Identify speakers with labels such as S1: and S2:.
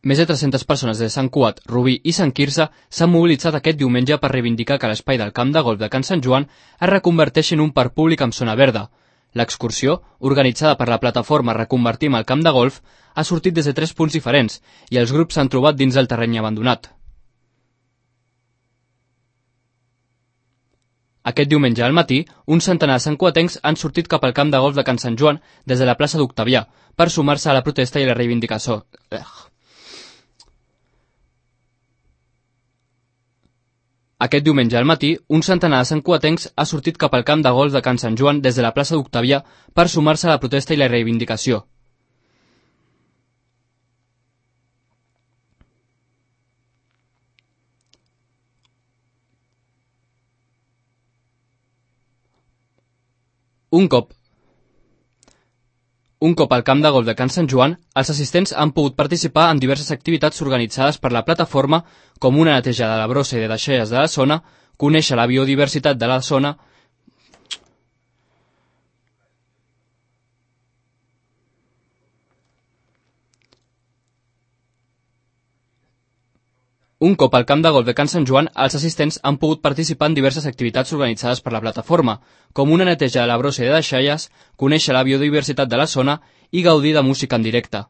S1: Més de 300 persones de Sant Cugat, Rubí i Sant Quirze s'han mobilitzat aquest diumenge per reivindicar que l'espai del camp de golf de Can Sant Joan es reconverteixi en un parc públic amb zona verda. L'excursió, organitzada per la plataforma Reconvertim el camp de golf, ha sortit des de 3 punts diferents i els grups s'han trobat dins del terreny abandonat. Aquest diumenge al matí, un centenar de santcuatencs han sortit cap al camp de golf de Can Sant Joan des de la plaça d'Octavià per sumar-se a la protesta i la reivindicació. Aquest diumenge al matí, un centenar de santcuatencs ha sortit cap al camp de golf de Can Sant Joan des de la plaça d'Octavià per sumar-se a la protesta i la reivindicació. Un cop al camp de golf de Can Sant Joan, els assistents han pogut participar en diverses activitats organitzades per la plataforma, com una neteja de la brossa i de deixalles de la zona, conèixer la biodiversitat de la zona. Un cop al camp de golf de Can Sant Joan, els assistents han pogut participar en diverses activitats organitzades per la plataforma, com una neteja de la brossa i de deixalles, conèixer la biodiversitat de la zona i gaudir de música en directe.